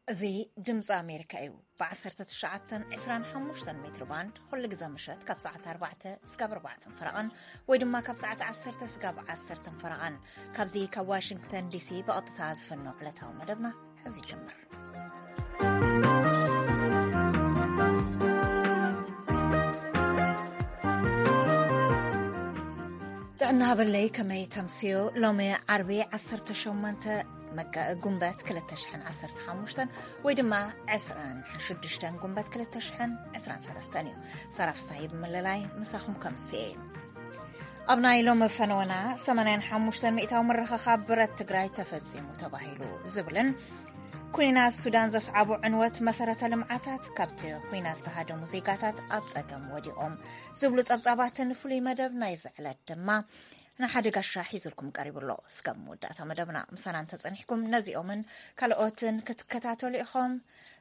እዚ ድምፂ ኣሜሪካ እዩ። ብ1925 ሜትር ባንድ ኩሉ ግዜ ምሸት ካብ ሰዓት ኣርባዕተ እስካብ ኣርባዕተ ፈረቓን፣ ወይ ድማ ካብ ሰዓት ዓሰርተ እስካብ ዓሰርተ ፈረቓን፣ ካብዚ ካብ ዋሽንግተን ዲሲ ብቐጥታ ዝፍኖ ዕለታዊ መደብና ሕዚ ይጅምር። ጥዕና ሃበለይ፣ ከመይ ተምስዮ? ሎሚ ዓርቢ 18 መጋ-፣ ጉንበት 2015 ወይ ድማ 26 ጉንበት 2023 እዩ። ሳራ ፍሳሐ ብምልላይ ምሳኹም ከምስየ። ኣብ ናይ ሎሚ ፈነወና 85% ምርኽኻብ ብረት ትግራይ ተፈጺሙ ተባሂሉ ዝብልን፣ ኩናት ሱዳን ዘስዓቦ ዕንወት መሰረተ ልምዓታት፣ ካብቲ ኩናት ዝሃደሙ ዜጋታት ኣብ ጸገም ወዲቖም ዝብሉ ጸብጻባትን ፍሉይ መደብ ናይዚ ዕለት ድማ ንሓደ ጋሻ ሒዙልኩም ቀሪቡ ኣሎ። እስከ መወዳእታ መደብና ምሳና እንተጸኒሕኩም ነዚኦምን ካልኦትን ክትከታተሉ ኢኹም።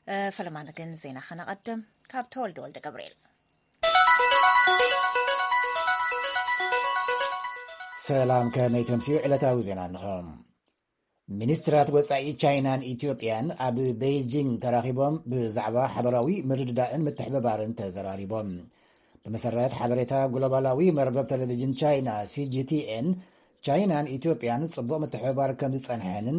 እ፣ ፈለማ ግን ዜና ከነቐድም ካብ ተወልደ ወልደ ገብርኤል። ሰላም፣ ከመይ ተምስዩ? ዕለታዊ ዜና እንሆ። ሚኒስትራት ወጻኢ ቻይናን ኢትዮጵያን ኣብ ቤይጂንግ ተራኺቦም ብዛዕባ ሓበራዊ ምርድዳእን ምትሕብባርን ተዘራሪቦም። ብመሰረት ሓበሬታ ግሎባላዊ መርበብ ቴሌቪዥን ቻይና፣ ሲ ጂ ቲ ኤን፣ ቻይናን ኢትዮጵያን ጽቡቕ ምትሕብባር ከም ዝጸንሐንን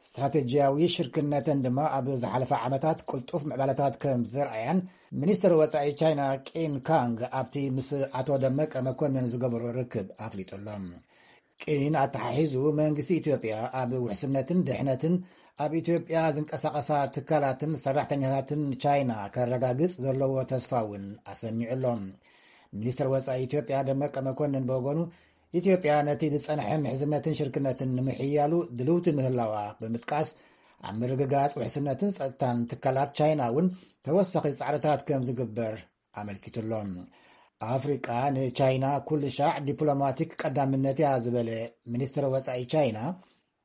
ስትራቴጂያዊ ሽርክነተን ድማ ኣብ ዝሓለፈ ዓመታት ቅልጡፍ ምዕባለታት ከም ዘርኣያን ሚኒስትር ወጻኢ ቻይና ቂን ካንግ ኣብቲ ምስ ኣቶ ደመቀ መኮንን ዝገበሮ ርክብ ኣፍሊጡ ኣሎ። ቂን ኣተሓሒዙ መንግስቲ ኢትዮጵያ ኣብ ውሕስነትን ድሕነትን ኣብ ኢትዮጵያ ዝንቀሳቐሳ ትካላትን ሰራሕተኛታትን ቻይና ከረጋግጽ ዘለዎ ተስፋ እውን ኣሰሚዑ ኣሎ። ሚኒስትር ወጻኢ ኢትዮጵያ ደመቀ መኮንን ብወገኑ፣ ኢትዮጵያ ነቲ ዝጸንሐ ምሕዝነትን ሽርክነትን ንምሕያሉ ድልውቲ ምህላዋ ብምጥቃስ፣ ኣብ ምርግጋጽ ውሕስነትን ጸጥታን ትካላት ቻይና እውን ተወሳኺ ጻዕርታት ከም ዝግበር ኣመልኪቱ ኣሎ። ኣፍሪቃ ንቻይና ኩሉ ሻዕ ዲፕሎማቲክ ቀዳምነት እያ ዝበለ ሚኒስትር ወጻኢ ቻይና፣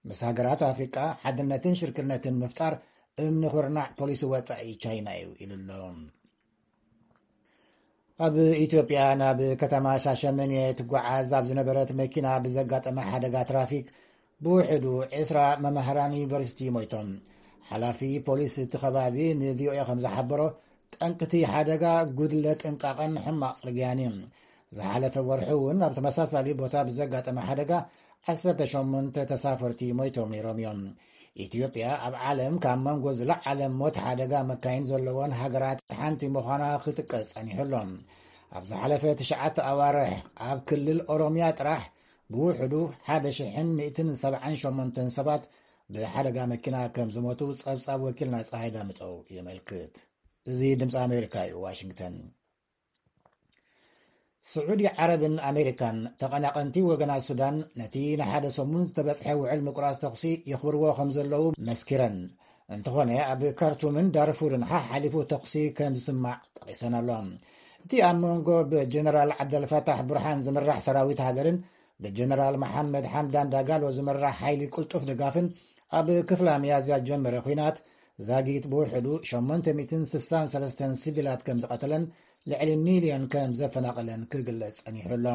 ምስ ሃገራት ኣፍሪቃ ሓድነትን ሽርክነትን ምፍጣር እምኒ ኩርናዕ ፖሊሲ ወጻኢ ቻይና እዩ ኢሉ ኣሎ። ኣብ ኢትዮጵያ ናብ ከተማ ሻሸመኔ ትጓዓዝ ኣብ ዝነበረት መኪና ብዘጋጠመ ሓደጋ ትራፊክ ብውሕዱ ዕስራ መማህራን ዩኒቨርሲቲ ሞይቶም። ሓላፊ ፖሊስ እቲ ከባቢ ን ቪ ኦ ኤ ከም ዝሓበሮ፣ ጠንቅቲ ሓደጋ ጉድለት ጥንቃቐን ሕማቕ ጽርግያን እዩ። ዝሓለፈ ወርሒ እውን ኣብ ተመሳሳሊ ቦታ ብዘጋጠመ ሓደጋ ዓሰርተ ሸሞንተ ተሳፈርቲ ሞይቶም ነይሮም እዮም። ኢትዮጵያ ኣብ ዓለም ካብ መንጎ ዝለዓለ ሞት ሓደጋ መካይን ዘለዎን ሃገራት ሓንቲ ምዃና ክጥቀስ ጸኒሑ ኣሎ። ኣብ ዝሓለፈ ትሽዓተ ኣዋርሕ ኣብ ክልል ኦሮሚያ ጥራሕ ብውሕዱ ሓደ ሽሕን ሚእትን ሰብዓን ሸሞንተን ሰባት ብሓደጋ መኪና ከም ዝሞቱ ጸብጻብ ወኪልና ጸሃይ ዳምጠው የመልክት። እዚ ድምፂ ኣሜሪካ እዩ፣ ዋሽንግተን። ስዑዲ ዓረብን ኣሜሪካን ተቐናቐንቲ ወገናት ሱዳን ነቲ ንሓደ ሰሙን ዝተበጽሐ ውዕል ምቁራጽ ተኹሲ የኽብርዎ ከም ዘለዉ መስኪረን። እንተኾነ፣ ኣብ ካርቱምን ዳርፉርን ሓሓሊፉ ተኹሲ ከም ዝስማዕ ጠቒሰን ኣሎ። እቲ ኣብ መንጎ ብጀነራል ዓብደልፈታሕ ቡርሃን ዝምራሕ ሰራዊት ሃገርን ብጀነራል መሓመድ ሓምዳን ዳጋሎ ዝምራሕ ሓይሊ ቅልጡፍ ድጋፍን ኣብ ክፍላ ሚያዝያ ዝጀመረ ኲናት ዛጊት ብውሕዱ ሸሞንተ ሚእትን ስሳን ሰለስተን ሲቪላት ከም ዝቐተለን ልዕሊ ሚልዮን ከም ዘፈናቐለን ክግለጽ ጸኒሑ ኣሎ።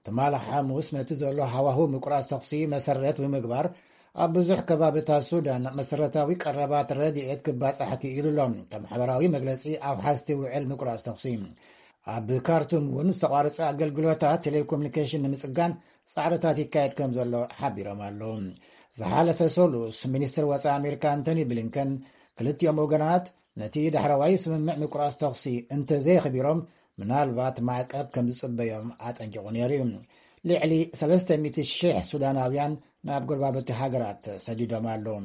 ትማሊ ሓሙስ ነቲ ዘሎ ሃዋህው ምቁራጽ ተኹሲ መሰረት ብምግባር ኣብ ብዙሕ ከባብታት ሱዳን መሰረታዊ ቀረባት ረድኤት ክባጻሕ ክኢሉ ኣሎ። ከም ሓበራዊ መግለጺ ኣውሓዝቲ ውዕል ምቁራጽ ተኹሲ፣ ኣብ ካርቱም እውን ዝተቋረጸ ኣገልግሎታት ቴሌኮሙኒኬሽን ንምጽጋን ጻዕርታት ይካየድ ከም ዘሎ ሓቢሮም ኣለዉ። ዝሓለፈ ሰሉስ ሚኒስትር ወጻኢ ኣሜሪካ ኣንቶኒ ብሊንከን ክልቲኦም ወገናት ነቲ ዳሕረዋይ ስምምዕ ምቁራጽ ተኹሲ እንተዘየኽቢሮም ምናልባት ማዕቀብ ከም ዝጽበዮም ኣጠንቂቑ ነይሩ እዩ። ልዕሊ ሰለስተ ሚእቲ ሽሕ ሱዳናውያን ናብ ጎረባብቲ ሃገራት ተሰዲዶም ኣለዉ።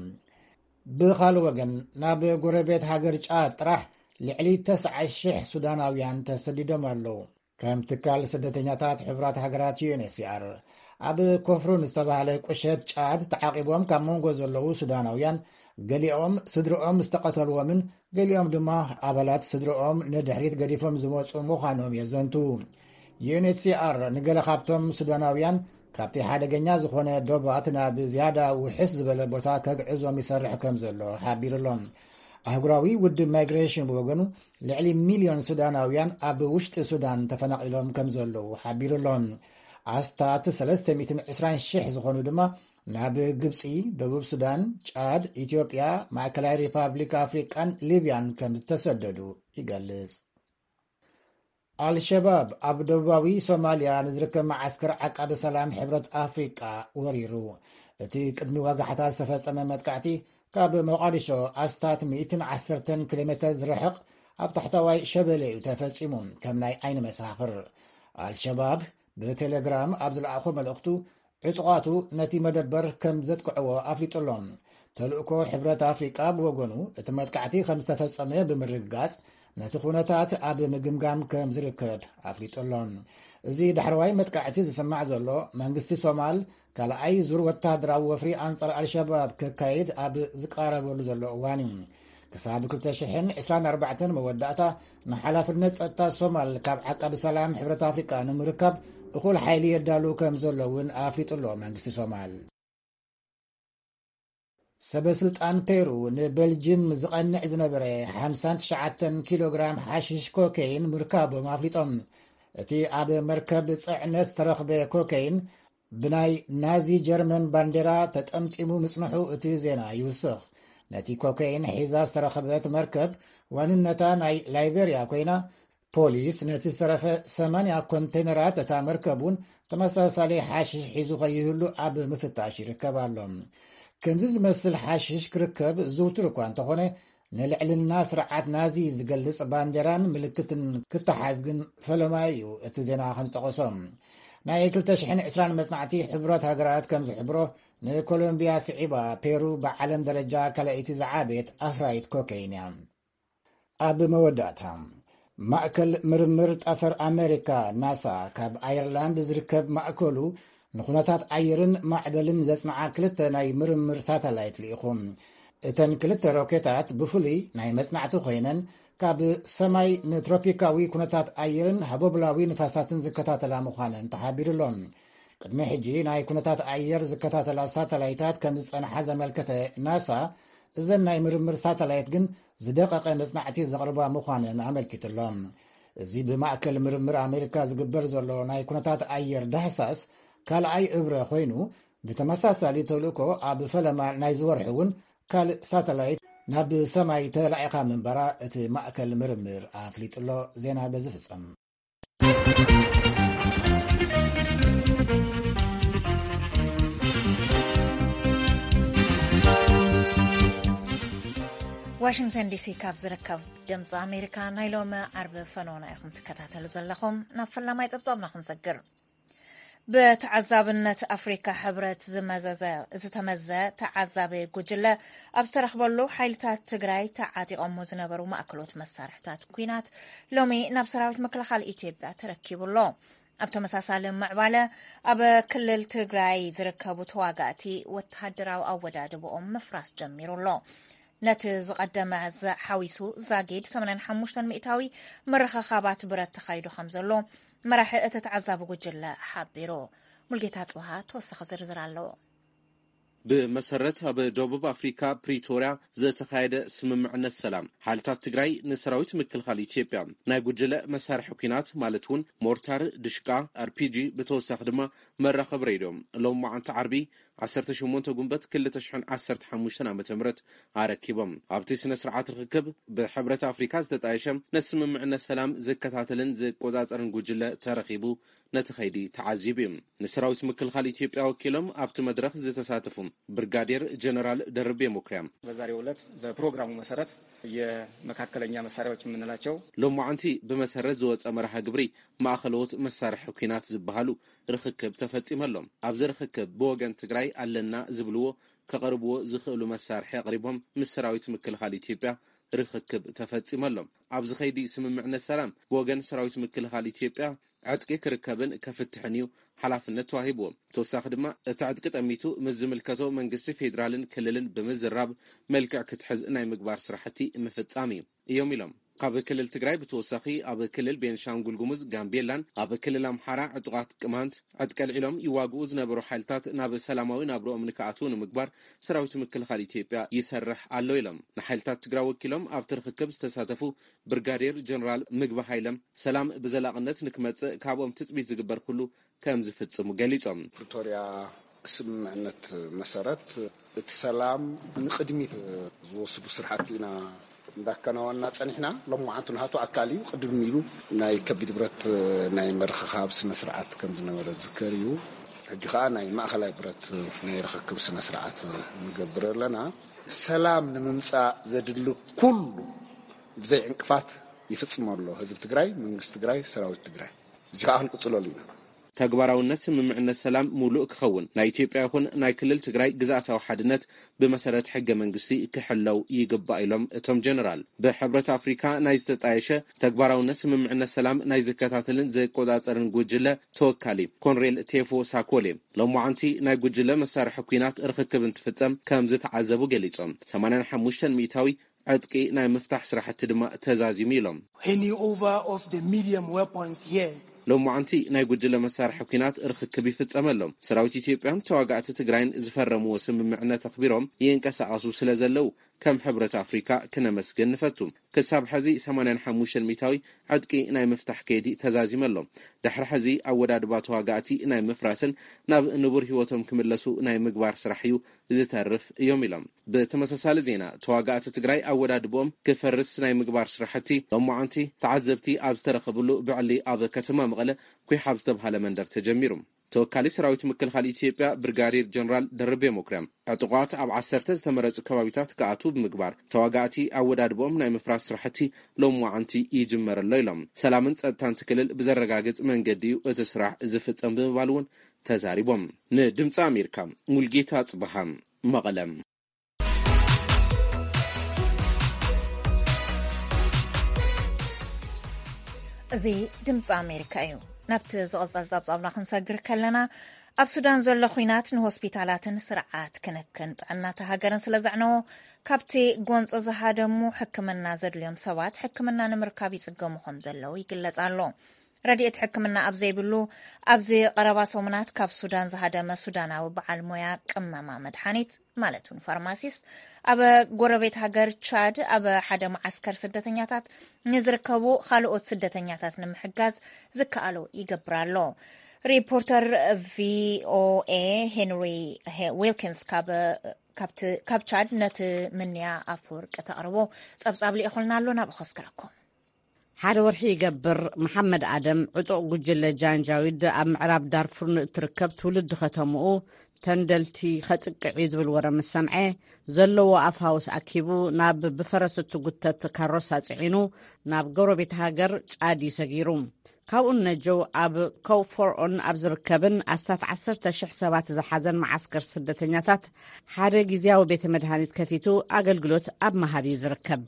ብኻልእ ወገን፣ ናብ ጎረቤት ሃገር ጫድ ጥራሕ ልዕሊ ተስዓ ሽሕ ሱዳናውያን ተሰዲዶም ኣለዉ። ከም ትካል ስደተኛታት ሕቡራት ሃገራት፣ ዩ ኤን ኤች ሲ ኣር፣ ኣብ ኮፍሩን ዝተባህለ ቁሸት ጫድ ተዓቂቦም ካብ መንጎ ዘለዉ ሱዳናውያን፣ ገሊኦም ስድርኦም ዝተቐተልዎምን ገሊኦም ድማ ኣባላት ስድርኦም ንድሕሪት ገዲፎም ዝመጹ ምዃኖም የዘንቱ። ዩ ኤን ኤች ሲ ኣር ንገለ ካብቶም ሱዳናውያን ካብቲ ሓደገኛ ዝኾነ ዶባት ናብ ዝያዳ ውሕስ ዝበለ ቦታ ከግዕዞም ይሰርሕ ከም ዘሎ ሓቢሩ ኣሎ። ኣህጉራዊ ውድብ ማይግሬሽን ብወገኑ፣ ልዕሊ ሚልዮን ሱዳናውያን ኣብ ውሽጢ ሱዳን ተፈናቒሎም ከም ዘለዉ ሓቢሩ ኣሎ። ኣስታት ሰለስተ ሚእትን ዕስራን ሽሕ ዝኾኑ ድማ ናብ ግብጺ፣ ደቡብ ሱዳን፣ ጫድ፣ ኢትዮጵያ፣ ማእከላይ ሪፓብሊክ ኣፍሪቃን ሊብያን ከም ዝተሰደዱ ይገልጽ። ኣልሸባብ ኣብ ደቡባዊ ሶማልያ ንዝርከብ መዓስከር ዓቃቢ ሰላም ሕብረት ኣፍሪቃ ወሪሩ። እቲ ቅድሚ ወጋሕታ ዝተፈጸመ መጥቃዕቲ፣ ካብ ሞቓዲሾ ኣስታት ሚእትን ዓሰርተን ኪሎ ሜተር ዝርሕቕ ኣብ ታሕተዋይ ሸበሌ እዩ ተፈጺሙ፣ ከም ናይ ዓይኒ መሳኽር። ኣልሸባብ ብቴሌግራም ኣብ ዝለኣኾ መልእኽቱ፣ ዕጡቓቱ ነቲ መደበር ከም ዘጥቅዕዎ ኣፍሊጡ ኣሎ። ተልእኮ ሕብረት ኣፍሪቃ ብወገኑ፣ እቲ መጥቃዕቲ ከም ዝተፈጸመ ብምርግጋጽ፣ ነቲ ኩነታት ኣብ ምግምጋም ከም ዝርከብ ኣፍሊጡ ኣሎ። እዚ ዳሕረዋይ መጥቃዕቲ ዝስማዕ ዘሎ፣ መንግስቲ ሶማል ካልኣይ ዙር ወተሃደራዊ ወፍሪ ኣንጻር ኣልሸባብ ከካይድ ኣብ ዝቃረበሉ ዘሎ እዋን እዩ። ክሳብ ክልተ ሽሕን ዕስራን ኣርባዕተን መወዳእታ፣ ንሓላፍነት ጸጥታ ሶማል ካብ ዓቃቢ ሰላም ሕብረት ኣፍሪቃ ንምርካብ እኹል ሓይሊ የዳሉ ከም ዘሎ እውን ኣፍሊጡ ኣሎ መንግስቲ ሶማል። ሰበ ስልጣን ፔሩ ንበልጅም ዝቐንዕ ዝነበረ ሓምሳን ትሽዓተን ኪሎ ግራም ሓሽሽ ኮኬይን ምርካቦም ኣፍሊጦም። እቲ ኣብ መርከብ ጽዕነት ዝተረኽበ ኮኬይን ብናይ ናዚ ጀርመን ባንዴራ ተጠምጢሙ ምጽንሑ እቲ ዜና ይውስኽ። ነቲ ኮኬይን ሒዛ ዝተረኸበት መርከብ ዋንነታ ናይ ላይቤርያ ኮይና፣ ፖሊስ ነቲ ዝተረፈ ሰማንያ ኮንቴነራት እታ መርከብ እውን ተመሳሳሊ ሓሽሽ ሒዙ ከይህሉ ኣብ ምፍታሽ ይርከብ ኣሎ። ከምዚ ዝመስል ሓሽሽ ክርከብ ዝውቱር እኳ እንተኾነ፣ ንልዕልና ስርዓት ናዚ ዝገልጽ ባንዴራን ምልክትን ክተሓዝ ግን ፈለማ እዩ፣ እቲ ዜና ከም ዝጠቐሶ። ናይ ክልተ ሽሕን ዕስራን መጽናዕቲ ሕቡራት ሃገራት ከም ዝሕብሮ፣ ንኮሎምቢያ ስዒባ፣ ፔሩ ብዓለም ደረጃ ካልኣይቲ ዝዓበየት ኣፍራይት ኮኬይን እያ። ኣብ መወዳእታ፣ ማእከል ምርምር ጠፈር ኣሜሪካ፣ ናሳ፣ ካብ ኣየርላንድ ዝርከብ ማእከሉ ንኹነታት ኣየርን ማዕበልን ዘጽንዓ ክልተ ናይ ምርምር ሳተላይት ልኢኹ። እተን ክልተ ሮኬታት ብፍሉይ ናይ መጽናዕቲ ኮይነን፣ ካብ ሰማይ ንትሮፒካዊ ኩነታት ኣየርን ሃቦብላዊ ንፋሳትን ዝከታተላ ምዃነን ተሓቢሩ ኣሎ። ቅድሚ ሕጂ ናይ ኩነታት ኣየር ዝከታተላ ሳተላይታት ከም ዝጸንሓ ዘመልከተ ናሳ፣ እዘን ናይ ምርምር ሳተላይት ግን ዝደቐቐ መጽናዕቲ ዘቕርባ ምዃነን ኣመልኪቱ ኣሎ። እዚ ብማእከል ምርምር ኣሜሪካ ዝግበር ዘሎ ናይ ኩነታት ኣየር ዳህሳስ ካልኣይ እብረ ኮይኑ፣ ብተመሳሳሊ ተልእኮ ኣብ ፈለማ ናይዚ ወርሒ እውን ካልእ ሳተላይት ናብ ሰማይ ተላኢኻ ምንባራ እቲ ማእከል ምርምር ኣፍሊጡ ኣሎ። ዜና በዚ ፍጸም። ዋሽንግተን ዲሲ ካብ ዝርከብ ድምፂ ኣሜሪካ ናይ ሎሚ ዓርቢ ፈኖና ኢኹም ትከታተሉ ዘለኹም። ናብ ፈላማይ ፀብፃብና ክንሰግር። ብተዓዛብነት ኣፍሪካ ሕብረት ዝመዘዘ ዝተመዘ ተዓዛቢ ጉጅለ ኣብ ዝተረኽበሉ ሓይልታት ትግራይ ተዓጢቖሞ ዝነበሩ ማእከሎት መሳርሕታት ኲናት ሎሚ ናብ ሰራዊት ምክልኻል ኢትዮጵያ ተረኪቡ ኣሎ። ኣብ ተመሳሳሊ ምዕባለ ኣብ ክልል ትግራይ ዝርከቡ ተዋጋእቲ ወተሃደራዊ ኣወዳድብኦም ምፍራስ ጀሚሩ ኣሎ። ነቲ ዝቐደመ ሓዊሱ ዛጊድ ሰማንያን ሓሙሽተን ሚእታዊ ምርኽኻባት ብረት ተኻይዱ ከም ዘሎ መራሒ እቲ ተዓዛቢ ጉጅለ ሓቢሩ። ሙልጌታ ጽብሃ ተወሳኺ ዝርዝር ኣለዎ። ብመሰረት ኣብ ደቡብ ኣፍሪካ ፕሪቶርያ ዝተኻየደ ስምምዕነት ሰላም፣ ሓይልታት ትግራይ ንሰራዊት ምክልኻል ኢትዮጵያ ናይ ጉጅለ መሳርሒ ኲናት ማለት እውን ሞርታር፣ ድሽቃ፣ ኣርፒጂ፣ ብተወሳኺ ድማ መራኸቢ ሬድዮ ሎም መዓንቲ ዓርቢ ዓሰርተ ሸሞንተ ጉንበት ክልተ ሽሕን ዓሰርተ ሓሙሽተን ዓመተ ምህረት ኣረኪቦም። ኣብቲ ስነ ስርዓት ርክክብ ብሕብረት ኣፍሪካ ዝተጣየሸ ነቲ ስምምዕነት ሰላም ዝከታተልን ዝቆጻጸርን ጉጅለ ተረኺቡ ነቲ ኸይዲ ተዓዚቡ እዩ። ንሰራዊት ምክልኻል ኢትዮጵያ ወኪሎም ኣብቲ መድረኽ ዝተሳተፉ ብርጋዴር ጀነራል ደርቤ መኩሪያ፣ በዛሬው ዕለት በፕሮግራሙ መሰረት የመካከለኛ መሳሪያዎች የምንላቸው ሎማዓንቲ ብመሰረት ዝወፀ መርሃ ግብሪ ማእኸለዎት መሳርሒ ኲናት ዝበሃሉ ርኽክብ ተፈፂመሎም። ኣብዚ ርኽክብ ብወገን ትግራይ ኣለና ዝብልዎ ከቐርብዎ ዝኽእሉ መሳርሒ ኣቕሪቦም ምስ ሰራዊት ምክልኻል ኢትዮጵያ ርኽክብ ተፈፂመሎም። ኣብዚ ኸይዲ ስምምዕነት ሰላም ብወገን ሰራዊት ምክልኻል ኢትዮጵያ ዕጥቂ ክርከብን ከፍትሕን እዩ ሓላፍነት ተዋሂብዎ። ተወሳኺ ድማ እቲ ዕጥቂ ጠሚቱ ምስ ዝምልከቶ መንግስቲ ፌዴራልን ክልልን ብምዝራብ መልክዕ ክትሕዝ ናይ ምግባር ስራሕቲ ምፍፃም እዩ እዮም ኢሎም። ካብ ክልል ትግራይ ብተወሳኺ ኣብ ክልል ቤንሻንጉል ጉሙዝ፣ ጋምቤላን ኣብ ክልል ኣምሓራ ዕጡቓት ቅማንት ዕጥቂ ኣልዒሎም ይዋግኡ ዝነበሩ ሓይልታት ናብ ሰላማዊ ናብርኦም ንክኣትዉ ንምግባር ሰራዊት ምክልኻል ኢትዮጵያ ይሰርሕ ኣሎ ኢሎም። ንሓይልታት ትግራይ ወኪሎም ኣብቲ ርኽክብ ዝተሳተፉ ብርጋዴር ጀነራል ምግቢ ሃይለም፣ ሰላም ብዘላቕነት ንክመጽእ ካብኦም ትጽቢት ዝግበር ኩሉ ከም ዝፍጽሙ ገሊጾም። ፕሪቶርያ ስምምዕነት መሰረት እቲ ሰላም ንቕድሚት ዝወስዱ ስራሕቲ ኢና እንዳከናወንና ጸኒሕና። ሎማዓንቲ ናቱ ኣካል እዩ። ቅድም ኢሉ ናይ ከቢድ ብረት ናይ ምርኽኻብ ስነ ስርዓት ከም ዝነበረ ዝዝከር እዩ። ሕጂ ከዓ ናይ ማእኸላይ ብረት ናይ ርኽክብ ስነ ስርዓት ንገብር ኣለና። ሰላም ንምምፃእ ዘድሊ ኩሉ ብዘይ ዕንቅፋት ይፍፅም ኣሎ ህዝቢ ትግራይ፣ መንግስቲ ትግራይ፣ ሰራዊት ትግራይ። እዚ ከዓ ክንቅፅለሉ ኢና። ተግባራውነት ስምምዕነት ሰላም ሙሉእ ክኸውን ናይ ኢትዮጵያ ይኹን ናይ ክልል ትግራይ ግዝኣታዊ ሓድነት ብመሰረት ሕገ መንግስቲ ክሕለው ይግባእ ኢሎም እቶም ጀነራል። ብሕብረት ኣፍሪካ ናይ ዝተጣየሸ ተግባራውነት ስምምዕነት ሰላም ናይ ዝከታተልን ዝቆጻጸርን ጉጅለ ተወካሊ ኮንሬል ቴፎ ሳኮሌ፣ ሎማዓንቲ ናይ ጉጅለ መሳርሒ ኲናት ርኽክብ እንትፍጸም ከም ዝተዓዘቡ ገሊጾም። ሰማንያን ሓሙሽተን ሚእታዊ ዕጥቂ ናይ ምፍታሕ ስራሕቲ ድማ ተዛዚሙ ኢሎም። Handing over of the medium weapons here. ሎማዓንቲ ናይ ጉጅለ መሳርሒ ኲናት ርኽክብ ይፍጸመሎም። ሰራዊት ኢትዮጵያን ተዋጋእቲ ትግራይን ዝፈረምዎ ስምምዕነት ኣኽቢሮም ይንቀሳቐሱ ስለ ዘለዉ ከም ሕብረት ኣፍሪካ ክነመስግን ንፈቱ። ክሳብ ሕዚ ሰማንያን ሓሙሽተን ሚእታዊ ዕጥቂ ናይ ምፍታሕ ከይዲ ተዛዚመሎም። ድሕሪ ሕዚ ኣወዳድባ ተዋጋእቲ ናይ ምፍራስን ናብ ንቡር ህይወቶም ክምለሱ ናይ ምግባር ስራሕ እዩ ዝተርፍ እዮም ኢሎም። ብተመሳሳሊ ዜና፣ ተዋጋእቲ ትግራይ ኣወዳድብኦም ክፈርስ ናይ ምግባር ስራሕቲ ሎማዓንቲ ተዓዘብቲ ኣብ ዝተረኸብሉ ብዕሊ ኣብ ከተማ መቐለ ኩሓ ኣብ ዝተብሃለ መንደር ተጀሚሩ። ተወካሊ ሰራዊት ምክልኻል ኢትዮጵያ ብርጋዴር ጀነራል ደርቤ መኩርያ፣ ዕጡቓት ኣብ ዓሰርተ ዝተመረጹ ከባቢታት ክኣትዉ ብምግባር፣ ተዋጋእቲ ኣወዳድብኦም ናይ ምፍራስ ስራሕቲ ሎማዓንቲ ይጅመር ኣሎ ኢሎም። ሰላምን ጸጥታን እቲ ክልል ብዘረጋግጽ መንገዲ እዩ እቲ ስራሕ ዝፍጸም ብምባል እውን ተዛሪቦም። ንድምፂ ኣሜሪካ ሙልጌታ ጽበሃ፣ መቐለ። እዚ ድምፂ ኣሜሪካ እዩ። ናብቲ ዝቕጽል ጸብጻብና ክንሰግር ከለና፣ ኣብ ሱዳን ዘሎ ኹናት ንሆስፒታላትን ስርዓት ክንክን ጥዕናታ ሃገርን ስለ ዘዕነዎ፣ ካብቲ ጎንፂ ዝሃደሙ ሕክምና ዘድልዮም ሰባት ሕክምና ንምርካብ ይጽገሙ ከም ዘለዉ ይግለጽ ኣሎ። ረድኤት ሕክምና ኣብ ዘይብሉ ኣብዚ ቀረባ ሰሙናት ካብ ሱዳን ዝሃደመ ሱዳናዊ በዓል ሞያ ቅመማ መድሓኒት ማለት እውን ፋርማሲስት ኣብ ጎረቤት ሃገር ቻድ ኣብ ሓደ መዓስከር ስደተኛታት ንዝርከቡ ካልኦት ስደተኛታት ንምሕጋዝ ዝከኣሎ ይገብር ኣሎ። ሪፖርተር ቪኦኤ ሄንሪ ዊልኪንስ ካብ ቻድ ነቲ ምንያ ኣፈወርቂ ተቕርቦ ጸብጻብ ልኢኹልና ኣሎ። ናብኡ ከስክረኩም። ሓደ ወርሒ ይገብር፣ መሓመድ ኣደም ዕጡቕ ጉጅለ ጃንጃዊድ ኣብ ምዕራብ ዳርፉር ንእትርከብ ትውልዲ ከተምኡ ተንደልቲ ከጥቅዕ እዩ ዝብል ወረ ምስ ሰምዐ፣ ዘለዎ ኣፋውስ ኣኪቡ ናብ ብፈረስ እትጉተት ካሮሳ ጽዒኑ ናብ ጎረቤት ሃገር ጫድ እዩ ሰጊሩ። ካብኡ ነጀው ኣብ ኮውፎርኦን ኣብ ዝርከብን ኣስታት ዓሰርተ ሽሕ ሰባት ዝሓዘን መዓስከር ስደተኛታት ሓደ ግዝያዊ ቤተ መድሃኒት ከፊቱ ኣገልግሎት ኣብ መሃብ እዩ ዝርከብ።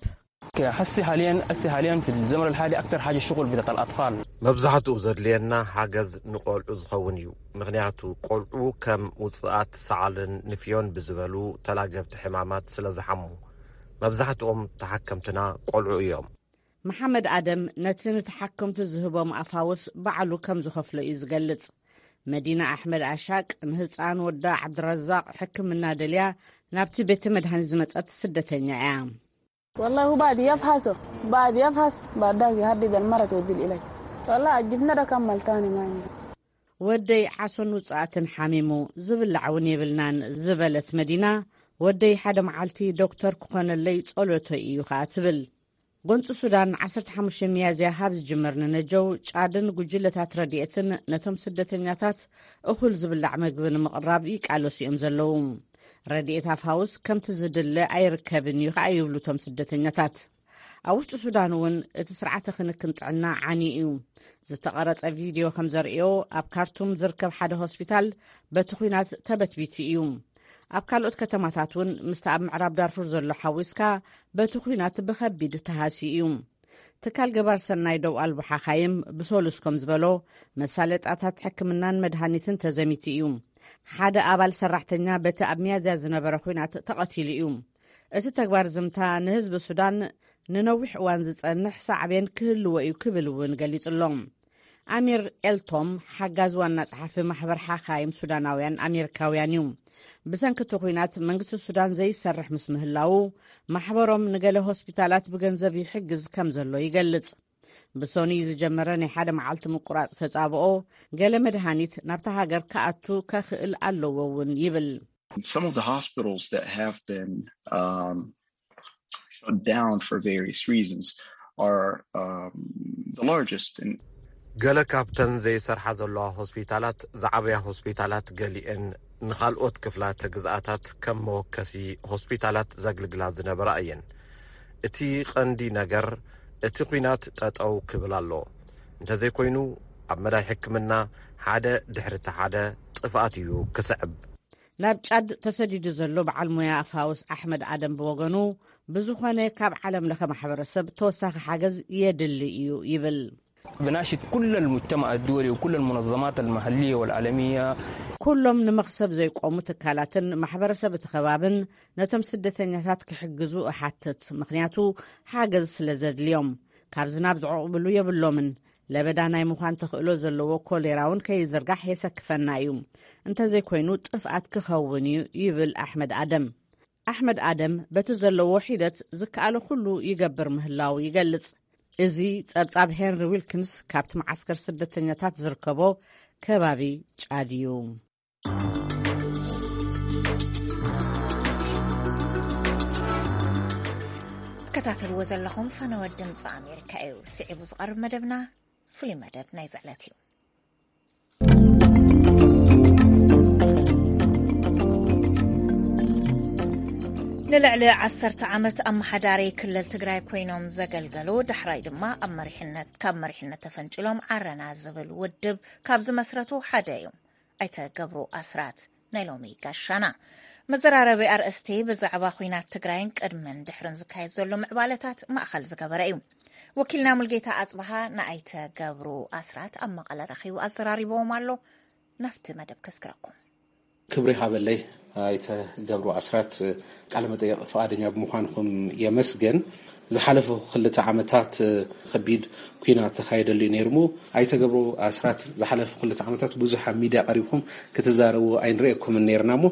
حسي حاليا حسي حاليا في الزمن الحالي اكثر حاجه الشغل بتاعت الاطفال. መብዛሕትኡ ዘድልየና ሓገዝ ንቆልዑ ዝኸውን እዩ። ምኽንያቱ ቆልዑ ከም ውፅኣት ሰዓልን ንፍዮን ብዝበሉ ተላገብቲ ሕማማት ስለ ዝሓሙ፣ መብዛሕትኦም ተሓከምትና ቆልዑ እዮም። መሓመድ ኣደም ነቲ ንተሓከምቱ ዝህቦም ኣፋውስ ባዕሉ ከም ዝኸፍሎ እዩ ዝገልጽ። መዲና ኣሕመድ ኣሻቅ ንህፃን ወዳ ዓብድረዛቅ ሕክምና ደልያ ናብቲ ቤተ መድሃኒት ዝመጸት ስደተኛ እያ። والله هو بعد يفحصه، بعد يفحص، بعد ذاك يحدد المرض ودي العلاج. والله الجبنة ده كمل تاني ما عندي. ወደይ ዓሶን ውፅኣትን ሓሚሙ ዝብላዕ እውን የብልናን ዝበለት መዲና፣ ወደይ ሓደ መዓልቲ ዶክተር ክኾነለይ ጸሎተይ እዩ ኸኣ ትብል። ጎንፂ ሱዳን ዓሰርተ ሓሙሽተ ሚያዝያ ሃብ ዝጅመር ንነጀው ጫድን ጉጅለታት ረድኤትን ነቶም ስደተኛታት እኹል ዝብላዕ መግቢ ንምቕራብ ይቃለሱ እዮም ዘለዉ። ረድኤት ኣፋውስ ከምቲ ዝድለ ኣይርከብን እዩ ከኣ ይብሉ እቶም ስደተኛታት። ኣብ ውሽጢ ሱዳን እውን እቲ ስርዓተ ክንክን ጥዕና ዓንዩ እዩ። ዝተቐረጸ ቪድዮ ከም ዘርእዮ ኣብ ካርቱም ዝርከብ ሓደ ሆስፒታል በቲ ኹናት ተበትቢቱ እዩ። ኣብ ካልኦት ከተማታት እውን ምስቲ ኣብ ምዕራብ ዳርፉር ዘሎ ሓዊስካ በቲ ኹናት ብኸቢድ ተሃስዩ እዩ። ትካል ገባር ሰናይ ደው ኣልቦ ሓኻይም ብሰሉስ ከም ዝበሎ መሳለጣታት ሕክምናን መድሃኒትን ተዘሚቱ እዩ። ሓደ ኣባል ሰራሕተኛ በቲ ኣብ ሚያዝያ ዝነበረ ኹናት ተቐቲሉ እዩ። እቲ ተግባር ዝምታ ንህዝቢ ሱዳን ንነዊሕ እዋን ዝጸንሕ ሳዕቤን ክህልዎ እዩ ክብል እውን ገሊጹ ኣሎ። ኣሚር ኤልቶም ሓጋዚ ዋና ጸሓፊ ማሕበር ሓኻይም ሱዳናውያን ኣሜሪካውያን እዩ። ብሰንኪ እቲ ኲናት መንግስቲ ሱዳን ዘይሰርሕ ምስ ምህላዉ፣ ማሕበሮም ንገለ ሆስፒታላት ብገንዘብ ይሕግዝ ከም ዘሎ ይገልጽ። ብሶኒ ዝጀመረ ናይ ሓደ መዓልቲ ምቁራጽ ተጻብኦ፣ ገለ መድሃኒት ናብታ ሃገር ክኣቱ ከኽእል ኣለዎ እውን ይብል። Some of the hospitals that have been um, shut down for various reasons are um, the largest. And ገለ ካብተን ዘይሰርሓ ዘለዋ ሆስፒታላት ዝዓበያ ሆስፒታላት፣ ገሊአን ንኻልኦት ክፍላተ ግዝኣታት ከም መወከሲ ሆስፒታላት ዘግልግላ ዝነበራ እየን። እቲ ቀንዲ ነገር፣ እቲ ኲናት ጠጠው ክብል ኣሎ። እንተዘይኮይኑ፣ ኣብ መዳይ ሕክምና ሓደ ድሕሪ እቲ ሓደ ጥፍኣት እዩ ክስዕብ። ናብ ጫድ ተሰዲዱ ዘሎ በዓል ሞያ ፋውስ ኣሕመድ ኣደም ብወገኑ፣ ብዝኾነ ካብ ዓለም ለኸ ማሕበረሰብ ተወሳኺ ሓገዝ የድሊ እዩ ይብል። بناشد كل المجتمع الدولي وكل المنظمات المحلية والعالمية. ኩሎም ንመኽሰብ ዘይቆሙ ትካላትን ማሕበረሰብ እቲ ከባብን ነቶም ስደተኛታት ክሕግዙ እሓትት። ምኽንያቱ ሓገዝ ስለ ዘድልዮም፣ ካብ ዝናብ ዝዕቑብሉ የብሎምን። ለበዳ ናይ ምዃን ተኽእሎ ዘለዎ ኮሌራ እውን ከይዝርጋሕ የሰክፈና እዩ። እንተዘይኮይኑ ጥፍኣት ክኸውን እዩ ይብል ኣሕመድ ኣደም። ኣሕመድ ኣደም በቲ ዘለዎ ሒደት ዝከኣሎ ኩሉ ይገብር ምህላው ይገልጽ። እዚ ጸብጻብ ሄንሪ ዊልኪንስ ካብቲ መዓስከር ስደተኛታት ዝርከቦ ከባቢ ጫድ እዩ። ትከታተልዎ ዘለኹም ፈነወ ድምፂ ኣሜሪካ እዩ። ስዒቡ ዝቐርብ መደብና ፍሉይ መደብ ናይ ዝዕለት እዩ። ንልዕሊ ዓሰርተ ዓመት ኣመሓዳሪ ክልል ትግራይ ኮይኖም ዘገልገሉ፣ ዳሕራይ ድማ ኣብ መሪሕነት፣ ካብ መሪሕነት ተፈንጭሎም ዓረና ዝብል ውድብ ካብ ዝመስረቱ ሓደ እዮም ኣይተ ገብሩ ኣስራት። ናይ ሎሚ ጋሻና መዘራረቢ ኣርእስቲ ብዛዕባ ኲናት ትግራይን ቅድምን ድሕርን ዝካየድ ዘሎ ምዕባለታት ማእኸል ዝገበረ እዩ። ወኪልና ሙልጌታ ኣጽብሃ ንኣይተ ገብሩ ኣስራት ኣብ መቐለ ረኺቡ ኣዘራሪብዎም ኣሎ። ናብቲ መደብ ከስግረኩም። ክብሪ ሃበለይ ኣይተ ገብሩ ኣስራት፣ ቃለ መጠየቕ ፍቓደኛ ብምዃንኩም የመስገን። ዝሓለፉ ክልተ ዓመታት ከቢድ ኲናት ተኻየደሉ እዩ ነይሩ። እሞ ኣይተ ገብሩ ኣስራት፣ ዝሓለፉ ክልተ ዓመታት ብዙሕ ኣብ ሚድያ ቀሪብኩም ክትዛረቡ ኣይንርእየኩምን ነይርና። እሞ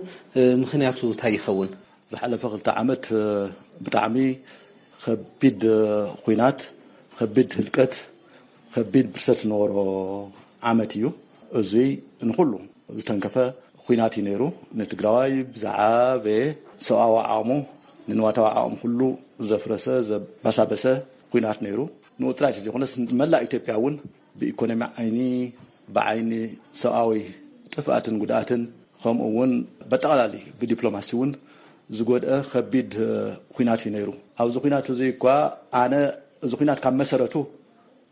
ምኽንያቱ እንታይ ይኸውን? ዝሓለፈ ክልተ ዓመት ብጣዕሚ ከቢድ ኲናት፣ ከቢድ ህልቀት፣ ከቢድ ብርሰት ዝነበሮ ዓመት እዩ። እዚ ንኹሉ ዝተንከፈ ኲናት እዩ ነይሩ። ንትግራዋይ ብዝዓበየ ሰብኣዊ ዓቕሙ፣ ንንዋታዊ ዓቕሙ ኩሉ ዘፍረሰ፣ ዘባሳበሰ ኲናት ነይሩ። ንኡ ጥራይ ዘይኮነስ መላእ ኢትዮጵያ እውን ብኢኮኖሚ ዓይኒ፣ ብዓይኒ ሰብኣዊ ጥፍኣትን ጉድኣትን፣ ከምኡ እውን በጠቕላሊ ብዲፕሎማሲ እውን ዝጎድአ ከቢድ ኲናት እዩ ነይሩ። ኣብዚ ኲናት እዚ እኳ ኣነ እዚ ኲናት ካብ መሰረቱ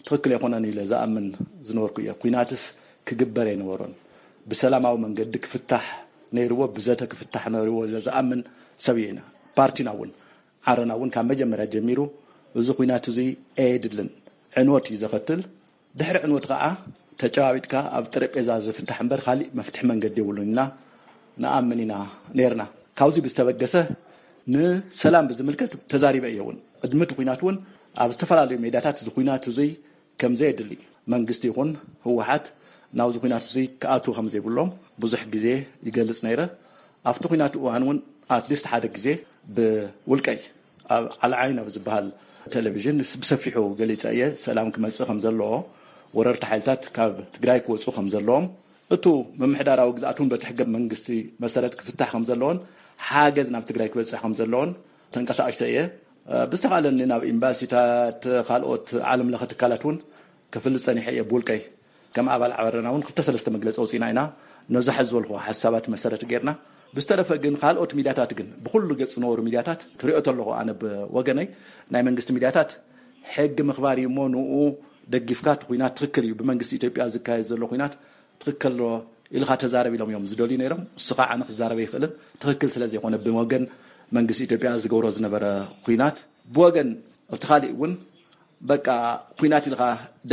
ትኽክል ኣይኮነን ኢለ ዝኣምን ዝነበርኩ እየ። ኲናትስ ክግበር ኣይነበሮን። ብሰላማዊ መንገዲ ክፍታሕ ነይርዎ፣ ብዘተ ክፍታሕ ነይርዎ ኢለ ዝኣምን ሰብ እየ። ፓርቲና እውን፣ ዓረና እውን ካብ መጀመርያ ጀሚሩ እዚ ኲናት እዚ ኣየድልን፣ ዕንወት እዩ ዘኸትል። ድሕሪ ዕንወት ከዓ ተጨባቢጥካ ኣብ ጠረጴዛ ዝፍታሕ እምበር ካሊእ መፍትሒ መንገዲ የብሉን ኢልና ንኣምን ኢና ነይርና። ካብዚ ብዝተበገሰ ንሰላም ብዝምልከት ተዛሪበ እየ እውን። ቅድሚ እቲ ኲናት እውን ኣብ ዝተፈላለዩ ሜዳታት እዚ ኲናት እዙይ ከም ዘየድሊ መንግስቲ ይኹን ህወሓት ናብዚ ኲናት እዙይ ክኣትዉ ከም ዘይብሎም ብዙሕ ግዜ ይገልጽ ነይረ። ኣብቲ ኲናት እዋን እውን ኣትሊስት ሓደ ግዜ ብውልቀይ ኣብ ዓልዓይን ኣብ ዝበሃል ቴሌቪዥን ብሰፊሑ ገሊጸ እየ። ሰላም ክመጽእ ከም ዘለዎ፣ ወረርቲ ሓይልታት ካብ ትግራይ ክወፁ ከም ዘለዎም፣ እቱ ምምሕዳራዊ ግዝኣት እውን በቲ ሕገ መንግስቲ መሰረት ክፍታሕ ከም ዘለዎን ሓገዝ ናብ ትግራይ ክበፅሕ ከም ዘለዎን ተንቀሳቐስተ እየ። ብዝተኻእለኒ ናብ ኤምባሲታት፣ ካልኦት ዓለም ለኸ ትካላት እውን ክፍልጥ ጸኒሐ እየ ብውልቀይ። ከም ኣባል ዓረና እውን ክልተ ሰለስተ መግለፂ ኣውፂእና ኢና። ነዚ ሕዚ ዝበልኹ ሓሳባት መሰረት ጌርና። ብዝተረፈ ግን ካልኦት ሚድያታት ግን ብኩሉ ገፅ ዝነበሩ ሚድያታት ክሪኦ ተለኹ ኣነ ብወገነይ ናይ መንግስቲ ሚድያታት ሕጊ ምኽባር እዩ እሞ ንኡ ደጊፍካ እቲ ኩናት ትኽክል እዩ ብመንግስቲ ኢትዮጵያ ዝካየድ ዘሎ ኩናት ትኽክል ኣሎ ኢልካ ተዛረብ ኢሎም እዮም ዝደልዩ ነይሮም። እሱ ከዓ ኣነ ክዛረብ ኣይኽእልን። ትኽክል ስለ ዘይኮነ ብወገን መንግስቲ ኢትዮጵያ ዝገብሮ ዝነበረ ኩናት ብወገን እቲ ካሊእ እውን በቃ ኩናት ኢልካ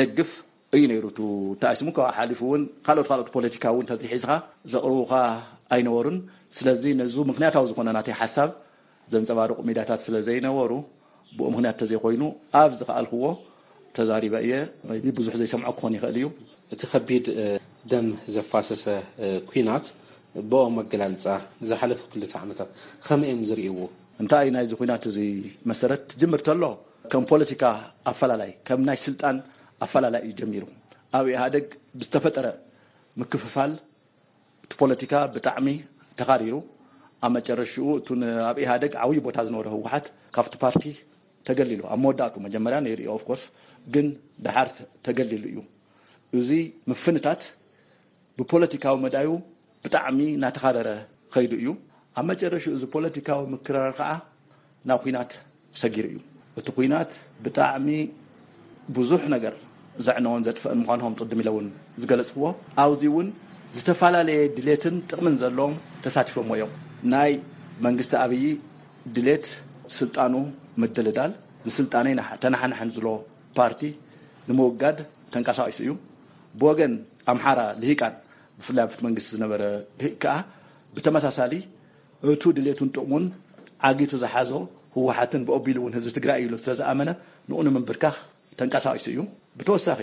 ደግፍ እዩ ነይሩ። ቱ ተኣሲሙ ካብ ሓሊፉ እውን ካልኦት ካልኦት ፖለቲካ እውን ተዚሒዝካ ዘቕርቡኻ ኣይነበሩን። ስለዚ ነዙ ምክንያታዊ ዝኾነ ናተይ ሓሳብ ዘንጸባርቑ ሚድያታት ስለ ዘይነበሩ ብኡ ምኽንያት ተዘይኮይኑ ኣብ ዝኸኣልክዎ ተዛሪበ እየ። ብዙሕ ዘይሰምዖ ክኾን ይኽእል እዩ። እቲ ከቢድ ደም ዘፋሰሰ ኲናት ብኦም ኣገላልፃ ዝሓለፉ ክልተ ዓመታት ከመይ እዮም ዝርእይዎ? እንታይ ናይዚ ኲናት እዚ መሰረት ትጅምር ተሎ ከም ፖለቲካ ኣፈላላይ ከም ናይ ስልጣን ኣፈላላይ እዩ ጀሚሩ። ኣብ ኢህኣደግ ብዝተፈጠረ ምክፍፋል እቲ ፖለቲካ ብጣዕሚ ተኻሪሩ ኣብ መጨረሽኡ እቱ ኣብ ኢህኣደግ ዓብዪ ቦታ ዝነበረ ህወሓት ካብቲ ፓርቲ ተገሊሉ ኣብ መወዳእቱ መጀመርያ ነይሩ እዩ ኦፍኮርስ ግን ደሓር ተገሊሉ እዩ። እዚ ምፍንታት ብፖለቲካዊ መዳዩ ብጣዕሚ እናተኻረረ ኸይዱ እዩ። ኣብ መጨረሽኡ እዚ ፖለቲካዊ ምክራር ከዓ ናብ ኲናት ሰጊሩ እዩ። እቲ ኲናት ብጣዕሚ ብዙሕ ነገር ዘዕነወን ዘጥፈአን ምዃኑ ከም ቅድም ኢለ እውን ዝገለፅክዎ ኣብዚ እውን ዝተፈላለየ ድሌትን ጥቕምን ዘለዎም ተሳቲፎሞ እዮም። ናይ መንግስቲ ኣብዪ ድሌት ስልጣኑ ምድልዳል ንስልጣነይ ተናሓናሕን ዝሎ ፓርቲ ንምውጋድ ተንቀሳቒሱ እዩ። ብወገን ኣምሓራ ልሂቃን ብፍላይ ኣብቲ መንግስቲ ዝነበረ ልሂቅ ከዓ ብተመሳሳሊ እቱ ድሌቱን ጥቕሙን ዓጊቱ ዝሓዞ ህወሓትን ብኦቢሉ እውን ህዝቢ ትግራይ እዩ ኢሉ ስለዝኣመነ ንኡ ንምንብርካኽ ተንቀሳቒሱ እዩ። ብተወሳኺ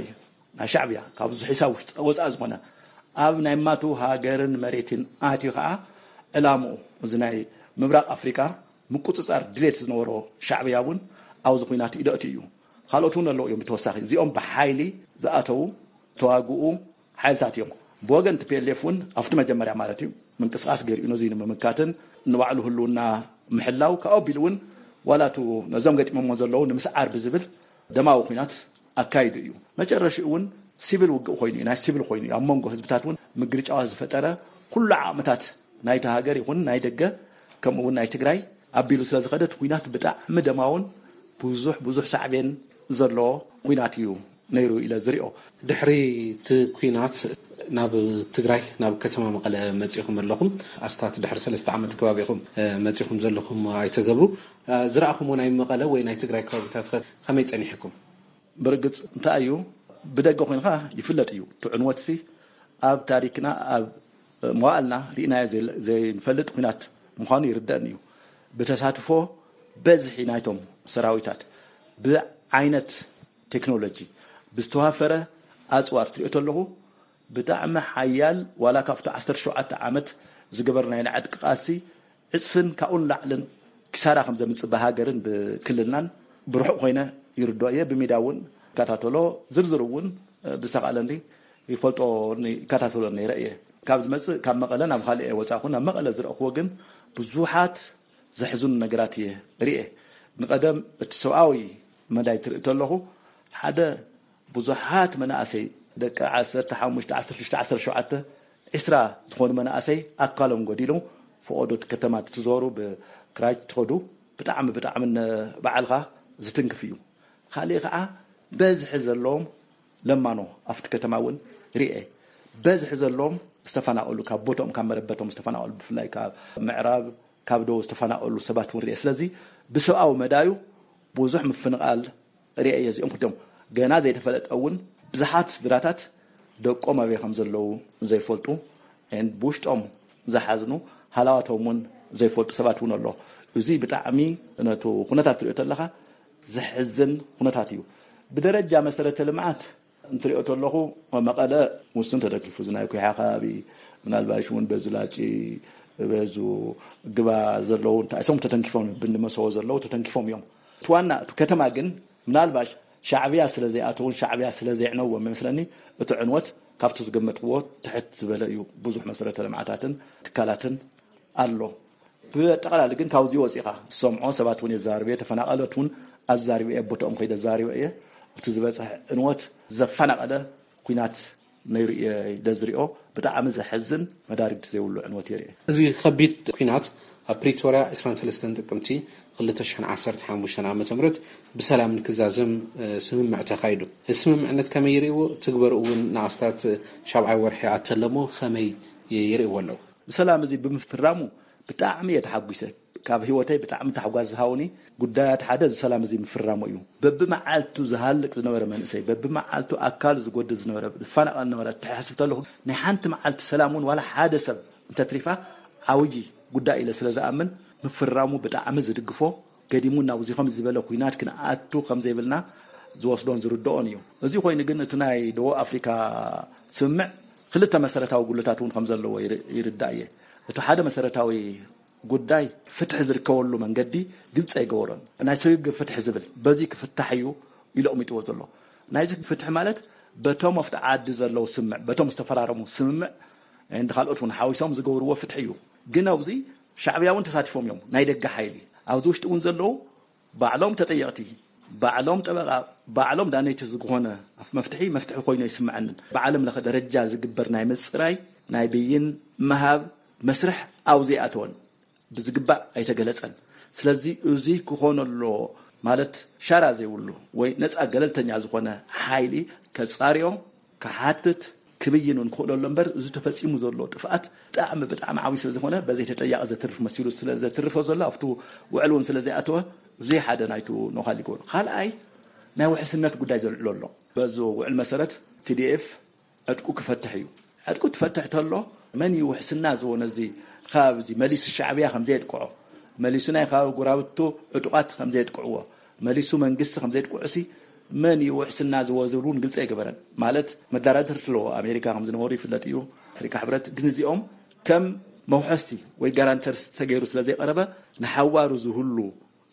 ናይ ሻዕብያ ካብ ሒሳብ ወፃእ ዝኾነ ኣብ ናይ ማቱ ሃገርን መሬትን ኣትዩ ከዓ ዕላምኡ እዚ ናይ ምብራቕ ኣፍሪቃ ምቁፅፃር ድሌት ዝነበሮ ሻዕብያ እውን ኣብዚ ኲናት ኢደእቲ እዩ። ካልኦት እውን ኣለዉ እዮም። ብተወሳኺ እዚኦም ብሓይሊ ዝኣተዉ ተዋግኡ ሓይልታት እዮም። ብወገን ቲ ፒ ኤል ኤፍ እውን ኣብቲ መጀመርያ ማለት እዩ ምንቅስቃስ ገይሩ ነዚ ንምምካትን ንባዕሉ ህልውና ምሕላው ካብ ኣቢሉ እውን ዋላ ቱ ነዞም ገጢሞሞ ዘለዉ ንምስዓር ብዝብል ደማዊ ኲናት ኣካይዱ እዩ። መጨረሽኡ እውን ሲቪል ውግእ ኮይኑ እዩ፣ ናይ ሲቪል ኮይኑ እዩ። ኣብ መንጎ ህዝብታት እውን ምግርጫዋት ዝፈጠረ ኩሉ ዓቕምታት ናይቲ ሃገር ይኹን ናይ ደገ ከምኡ እውን ናይ ትግራይ ኣቢሉ ስለ ዝኸደ እቲ ኲናት ብጣዕሚ ደማውን ብዙሕ ብዙሕ ሳዕቤን ዘለዎ ኲናት እዩ ነይሩ ኢለ ዝሪኦ። ድሕሪ እቲ ኲናት ናብ ትግራይ ናብ ከተማ መቐለ መፂኹም ኣለኹም። ኣስታት ድሕሪ ሰለስተ ዓመት ከባቢ ኢኹም መፂኹም ዘለኹም ኣይተገብሩ። ዝረኣኹምዎ ናይ መቐለ ወይ ናይ ትግራይ ከባቢታት ከ ከመይ ፀኒሕኩም? ብርግፅ እንታይ እዩ ብደገ ኮይንካ ይፍለጥ እዩ። እቲ ዕንወትሲ ኣብ ታሪክና ኣብ መዋእልና ርኢናዮ ዘይንፈልጥ ኲናት ምዃኑ ይርደእኒ እዩ። ብተሳትፎ በዝሒ ናይቶም ሰራዊታት ብዓይነት ቴክኖሎጂ ብዝተዋፈረ ኣፅዋር ትሪኦ ተለኹ ብጣዕሚ ሓያል ዋላ ካብቲ ዓሰርተ ሸውዓተ ዓመት ዝገበርናዮ ናይ ዕጥቂ ቃልሲ ዕፅፍን ካብኡን ላዕልን ክሳራ ከም ዘምፅእ ብሃገርን ብክልልናን ብርሑቕ ኮይነ ይርዶ እየ። ብሚዳ እውን ይከታተሎ ዝርዝር እውን ብዝተኻእለኒ ይፈልጦ ይከታተሎ ነይረ እየ። ካብ ዝመፅእ ካብ መቐለ ናብ ካልእ እየ ወፃእኹ። ናብ መቐለ ዝረእኽዎ ግን ብዙሓት ዘሕዝኑ ነገራት እየ ርኤ። ንቐደም እቲ ሰብኣዊ መዳይ ትርኢ ተለኹ ሓደ ብዙሓት መናእሰይ ደቂ ዓሰርተ ሓሙሽተ ዓሰርተ ሽዱሽተ ዓሰርተ ሸውዓተ ዒስራ ዝኾኑ መናእሰይ ኣካሎም ጎዲሉ ፈቐዶ እቲ ከተማ ትዞሩ ብክራይ ትኸዱ ብጣዕሚ ብጣዕሚ ባዕልኻ ዝትንክፍ እዩ። ካልእ ከዓ በዝሒ ዘለዎም ለማኖ ኣብቲ ከተማ እውን ርኤ። በዝሒ ዘለዎም ዝተፈናቀሉ ካብ ቦቶም ካብ መረበቶም ዝተፈናቀሉ ብፍላይ ካብ ምዕራብ ካብ ደቡብ ዝተፈናቀሉ ሰባት እውን ርኤ። ስለዚ ብሰብኣዊ መዳዩ ብዙሕ ምፍንቓል ርኤ እየ። እዚኦም ክልቲኦም ገና ዘይተፈለጠ እውን ብዙሓት ስድራታት ደቆም ኣበይ ከም ዘለዉ ዘይፈልጡ ብውሽጦም ዝሓዝኑ ሃላዋቶም እውን ዘይፈልጡ ሰባት እውን ኣሎ። እዚ ብጣዕሚ ነቱ ኩነታት ትሪኦ ተለኻ ዘሕዝን ኩነታት እዩ። ብደረጃ መሰረተ ልምዓት እንትሪኦ ተለኹ መቐለ ውሱን ተተኪፉ እዚ ናይ ኩሓ ከባቢ ምናልባሽ እውን በዚ ላጪ በዙ ግባ ዘለዉ እንታይ እሶም ተተንኪፎም ብንመሰዎ ዘለዉ ተተንኪፎም እዮም። እቲ ዋና እቲ ከተማ ግን ምናልባሽ ሻዕብያ ስለ ዘይኣተውን ሻዕብያ ስለ ዘይዕነዎም ይመስለኒ እቲ ዕንወት ካብቲ ዝገመትክዎ ትሕት ዝበለ እዩ። ብዙሕ መሰረተ ልምዓታትን ትካላትን ኣሎ። ብኣጠቓላሊ ግን ካብዚ ወፂኻ ዝሰምዖ ሰባት እውን የዛርብ እየ። ተፈናቐለት እውን ኣዛሪበ እየ። ቦትኦም ከይደ ኣዛሪበ እየ። እቲ ዝበፅሐ ዕንወት ዘፈናቐለ ኩናት ነይሩ እየ ኢለ ዝሪኦ። ብጣዕሚ ዘሕዝን መዳርግቲ ዘይብሉ ዕንወት እየ ርኤ። እዚ ከቢድ ኩናት ኣብ ፕሪቶርያ ዕስራን ሰለስተን ጥቅምቲ ክልተ ሽሕን ዓሰርተ ሓሙሽተን ዓመተ ምህረት ብሰላም ንክዛዘም ስምምዕ ተኻይዱ። እዚ ስምምዕነት ከመይ ይርእይዎ? ትግበርኡ እውን ንኣስታት ሻብዓይ ወርሒ ኣተለሞ ከመይ ይርእይዎ ኣለዉ? ብሰላም እዚ ብምፍራሙ ብጣዕሚ እየ ተሓጒሰ። ካብ ህይወተይ ብጣዕሚ ታሕጓስ ዝሃውኒ ጉዳያት ሓደ እዚ ሰላም እዚ ምፍራሙ እዩ። በብመዓልቱ ዝሃልቅ ዝነበረ መንእሰይ፣ በብመዓልቱ ኣካሉ ዝጎድል ዝነበረ፣ ዝፈናቐል ዝነበረ ተሓስብ ተለኹ ናይ ሓንቲ መዓልቲ ሰላም እውን ዋላ ሓደ ሰብ እንተትሪፋ ዓብዪ ጉዳይ ኢለ ስለ ዝኣምን ምፍራሙ ብጣዕሚ ዝድግፎ ገዲሙ ናብዚ ከም ዝበለ ኩናት ክንኣቱ ከም ዘይብልና ዝወስዶን ዝርድኦን እዩ። እዚ ኮይኑ ግን እቲ ናይ ደቡብ ኣፍሪካ ስምምዕ ክልተ መሰረታዊ ጉድለታት እውን ከም ዘለዎ ይር- ይርዳእ እየ። እቲ ሓደ መሰረታዊ ጉዳይ ፍትሒ ዝርከበሉ መንገዲ ግልፂ ኣይገበሮን። ናይ ስግግር ፍትሒ ዝብል በዚ ክፍታሕ እዩ ኢሉ ኣቕሚጥዎ ዘሎ። ናይዚ ፍትሒ ማለት በቶም ኣብቲ ዓዲ ዘለዉ ስምምዕ፣ በቶም ዝተፈራረሙ ስምምዕ እንዲ ካልኦት እውን ሓዊሶም ዝገብርዎ ፍትሒ እዩ። ግን ኣብዚ ሻዕብያ እውን ተሳቲፎም እዮም። ናይ ደገ ሓይሊ ኣብዚ ውሽጢ እውን ዘለዉ ባዕሎም ተጠየቕቲ፣ ባዕሎም ጠበቓ፣ ባዕሎም ዳነይቲ ዝኾነ መፍትሒ መፍትሒ ኮይኑ ኣይስምዐንን። ብዓለም ለኸ ደረጃ ዝግበር ናይ ምፅራይ ናይ ብይን ምሃብ መስርሕ ኣብዚ ኣይኣተወን፣ ብዝግባእ ኣይተገለፀን። ስለዚ እዚ ክኾን ኣለዎ ማለት ሻራ ዘይብሉ ወይ ነፃ ገለልተኛ ዝኾነ ሓይሊ ከፃርዮ ክሓትት ክብይን እውን ክኽእለሉ እምበር እዚ ተፈፂሙ ዘሎ ጥፍኣት ብጣዕሚ ብጣዕሚ ዓብዪ ስለ ዝኾነ በዘይ ተጠያቂ ዘትርፍ መሲሉ ስለ ዘትርፎ ዘሎ ኣብቲ ውዕል እውን ስለ ዘይኣተወ እዚ ሓደ ናይቱ ነዃል ይገብሮ። ካልኣይ ናይ ውሕስነት ጉዳይ ዘልዕሎ ኣሎ። በዚ ውዕል መሰረት ቲዲኤፍ ዕጥቁ ክፈትሕ እዩ። ዕጥቁ ትፈትሕ ተሎ መን እዩ ውሕስና ዝዎ ነዚ ከባቢ እዚ መሊሱ ሻዕብያ ከም ዘየጥቅዖ መሊሱ ናይ ከባቢ ጎራብቱ ዕጡቓት ከም ዘየጥቅዕዎ መሊሱ መንግስቲ ከም ዘየጥቅዑ ሲ መን እዩ ውሕስና ዝዎ ዝብል እውን ግልፂ ኣይገበረን። ማለት መዳራድርቲ ኣለዎ። ኣሜሪካ ከም ዝነበሩ ይፍለጥ እዩ። ኣፍሪካ ሕብረት ግን እዚኦም ከም መውሐስቲ ወይ ጋራንተርስ ተገይሩ ስለ ዘይቀረበ ንሓዋሩ ዝህሉ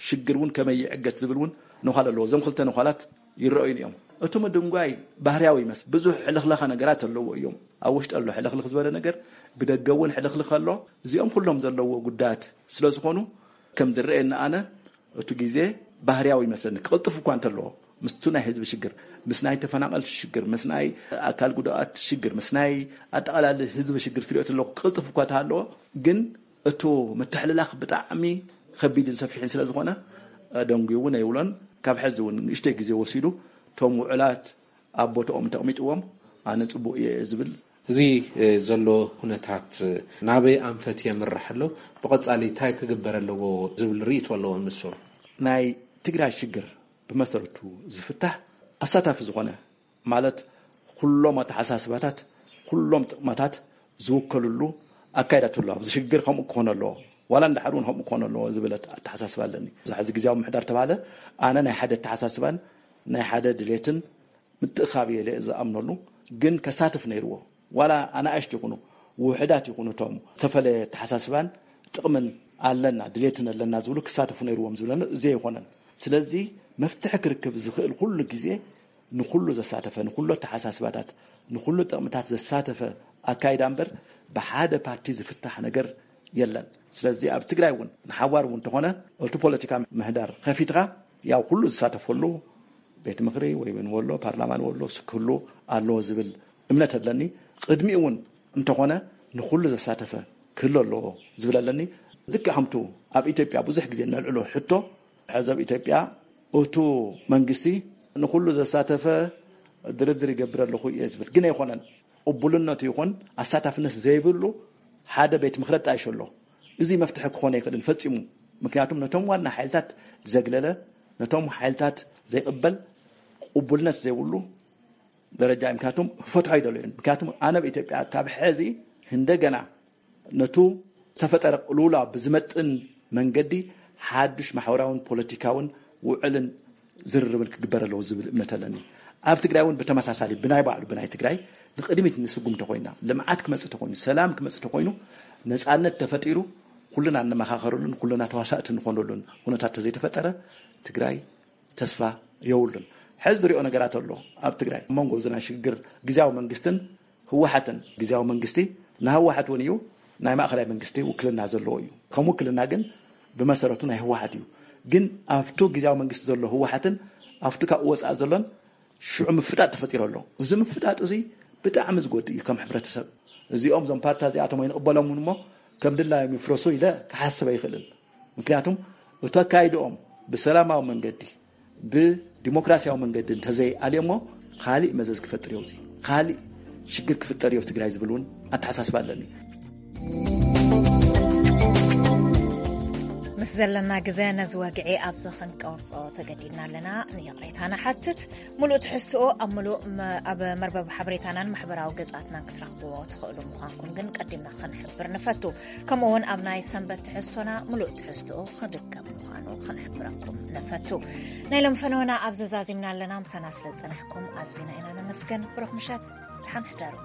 ሽግር እውን ከመይ ይዕገት ዝብል እውን ነዃል ኣለዎ። እዞም ክልተ ነዃላት ይረኣዩን እዮም። እቲ ምድንጓይ ባህርያዊ ይመስል። ብዙሕ ሕልኽለኸ ነገራት ኣለዎ እዮም። ኣብ ውሽጢ ኣሎ ሕልኽልኽ ዝበለ ነገር፣ ብደገ እውን ሕልኽልኽ ኣሎ። እዚኦም ኩሎም ዘለዎ ጉዳያት ስለ ዝኾኑ ከም ዝረኣየኒ ኣነ እቲ ግዜ ባህርያዊ ይመስለኒ። ክቕልጥፍ እኳ እንተለዎ ምስቱ ናይ ህዝቢ ሽግር፣ ምስ ናይ ተፈናቐልቲ ሽግር፣ ምስ ናይ ኣካል ጉዳኣት ሽግር፣ ምስ ናይ ኣጠቓላሊ ህዝቢ ሽግር ትሪኦ ተለኹ ክቕልጥፍ እኳ ተሃለዎ ግን እቱ ምትሕልላኽ ብጣዕሚ ከቢድን ሰፊሕን ስለ ዝኾነ ደንጉዩ እውን ኣይብሎን። ካብ ሕዚ እውን ንእሽተይ ግዜ ወሲዱ እቶም ውዕላት ኣብ ቦታኦም እንተቕሚጥዎም ኣነ ፅቡቅ እየ ዝብል። እዚ ዘሎ ኩነታት ናበይ ኣንፈት የምርሕ ኣሎ፣ ብቐፃሊ እንታይ ክግበር ኣለዎ ዝብል ርእይቶ ኣለዎ ንሱ። ናይ ትግራይ ሽግር ብመሰረቱ ዝፍታሕ ኣሳታፊ ዝኾነ ማለት ኩሎም ኣተሓሳስባታት ኩሎም ጥቕማታት ዝውከልሉ ኣካይዳ ትህሉ ኣብዚ ሽግር ከምኡ ክኾነ ኣለዎ ዋላ እንዳሓር እውን ከምኡ ክኾነ ኣለዎ ዝብለት ኣተሓሳስባ ኣለኒ። ብዙሕ እዚ ግዜያዊ ምሕዳር ተባሃለ ኣነ ናይ ሓደ ኣተሓሳስባን ናይ ሓደ ድሌትን ምትእኻብ እየ ዝኣምነሉ። ግን ከሳትፍ ነይርዎ ዋላ ኣናእሽት ይኹኑ ውሕዳት ይኹኑ እቶም ዝተፈለየ ኣተሓሳስባን ጥቕምን ኣለና ድሌትን ኣለና ዝብሉ ክሳተፉ ነይርዎም ዝብለኒ እዚ ኣይኮነን። ስለዚ መፍትሒ ክርክብ ዝኽእል ኩሉ ግዜ ንኹሉ ዘሳተፈ ንኹሉ ኣተሓሳስባታት ንኹሉ ጥቕምታት ዘሳተፈ ኣካይዳ እምበር ብሓደ ፓርቲ ዝፍታሕ ነገር የለን። ስለዚ ኣብ ትግራይ እውን ንሓዋር እውን እንተኾነ እቲ ፖለቲካ ምህዳር ከፊትካ ያው ኩሉ ዝሳተፈሉ ቤት ምኽሪ ወይ እውን ወሎ ፓርላማ ንወሎ ክህሉ ኣለዎ ዝብል እምነት ኣለኒ። ቅድሚኡ እውን እንተኾነ ንኹሉ ዘሳተፈ ክህሉ ኣለዎ ዝብል ኣለኒ። ልክዕ ከምቱ ኣብ ኢትዮጵያ ብዙሕ ግዜ ነልዕሎ ሕቶ ሕዚ ኣብ ኢትዮጵያ እቱ መንግስቲ ንኹሉ ዘሳተፈ ድርድር ይገብር ኣለኹ እየ ዝብል ግን ኣይኮነን። ቅቡልነቱ ይኹን ኣሳታፍነት ዘይብሉ ሓደ ቤት ምኽሪ ኣጣይሾ ኣሎ። እዚ መፍትሒ ክኾነ ኣይክእልን ፈፂሙ። ምክንያቱም ነቶም ዋና ሓይልታት ዘግለለ ነቶም ሓይልታት ዘይቕበል ቅቡልነት ዘይብሉ ደረጃ እዩ። ምክንያቱም ክፈትሖ ይደልዩን ምክንያቱም ኣነ ኣብ ኢትዮጵያ ካብ ሕዚ እንደገና ነቱ ዝተፈጠረ ቅልውላ ብዝመጥን መንገዲ ሓዱሽ ማሕበራውን ፖለቲካውን ውዕልን ዝርርብን ክግበር ኣለዎ ዝብል እምነት ኣለኒ። ኣብ ትግራይ እውን ብተመሳሳሊ ብናይ ባዕሉ ብናይ ትግራይ ንቅድሚት ንስጉም እንተኮይና ልምዓት ክመፅእ ተኮይኑ ሰላም ክመፅእ ተኮይኑ ነፃነት ተፈጢሩ ኩልና እንመኻኸረሉን ኩልና ተዋሳእቲ እንኾነሉን ኩነታት ተዘይተፈጠረ ትግራይ ተስፋ የብሉን። ሕዚ ዝሪኦ ነገራት ኣሎ ኣብ ትግራይ ኣብ መንጎ እዚ ናይ ሽግግር ግዜያዊ መንግስትን ህወሓትን ግዜያዊ መንግስቲ ንህወሓት እውን እዩ ናይ ማእኸላይ መንግስቲ ውክልና ዘለዎ እዩ። ከም ውክልና ግን ብመሰረቱ ናይ ህወሓት እዩ። ግን ኣብቱ ግዜያዊ መንግስቲ ዘሎ ህወሓትን ኣብቱ ካብኡ ወፃኢ ዘሎን ሽዑ ምፍጣጥ ተፈጢሩ ኣሎ። እዚ ምፍጣጥ እዚ ብጣዕሚ ዝጎድእ እዩ ከም ሕብረተሰብ። እዚኦም እዞም ፓርታ እዚኣቶም ኣይንቕበሎም እውን እሞ ከም ድላዮም ይፍረሱ ኢለ ክሓስብ ኣይኽእልን። ምክንያቱም እቲ ኣካይድኦም ብሰላማዊ መንገዲ ብዲሞክራሲያዊ መንገዲ እንተዘይኣልዮሞ ካሊእ መዘዝ ክፈጥር እዮ እዚ ካሊእ ሽግር ክፍጠር እዮ ትግራይ ዝብል እውን ኣተሓሳስባ ኣለኒ። ምስ ዘለና ግዜ ነዚ ወግዒ ኣብዚ ክንቀርጾ ተገዲድና ኣለና። ንይቕሬታ ንሓትት። ምሉእ ትሕዝትኡ ኣብ ምሉእ መ-፣ ኣብ መርበብ ሓበሬታናን ማሕበራዊ ገጻትናን ክትረኽብዎ ትኽእሉ ምዃንኩም ግን ቀዲምና ክንሕብር ንፈቱ። ከምኡ እውን ኣብ ናይ ሰንበት ትሕዝቶና ምሉእ ትሕዝትኡ ክድገም ምዃኑ ክንሕብረኩም ንፈቱ። ናይ ሎም ፈነወና ኣብ ዘዛዚምና ኣለና። ምሳና ስለ ዝጸናሕኩም ኣዚና ኢና ነመስገን። ብሩኽ ምሸት፣ ደሓን ሕደሩ።